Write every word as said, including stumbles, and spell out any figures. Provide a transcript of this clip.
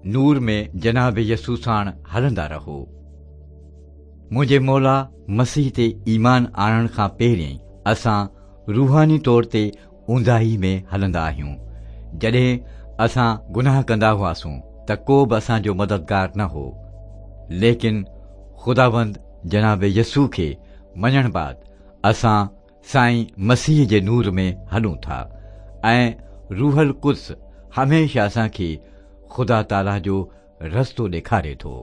نور ۾ جناب يسوع ساڻ هلندا رهو. منهنجي مولا مسيح تي ايمان آڻڻ کان پهرين اسان روحاني طور تي اونداهي ۾ هلندا آهيون. جڏهن اسان گناهه ڪندا هئاسون ته ڪو به اسان جو مددگار نه هو، ليڪن خداوند جناب يسوع کي مڃڻ بعد اسان سائين مسيح جي نور ۾ هلون ٿا ۽ روح القدس هميشه اسان کي خدا تعاليٰ جو رستو ڏيکاري ٿو.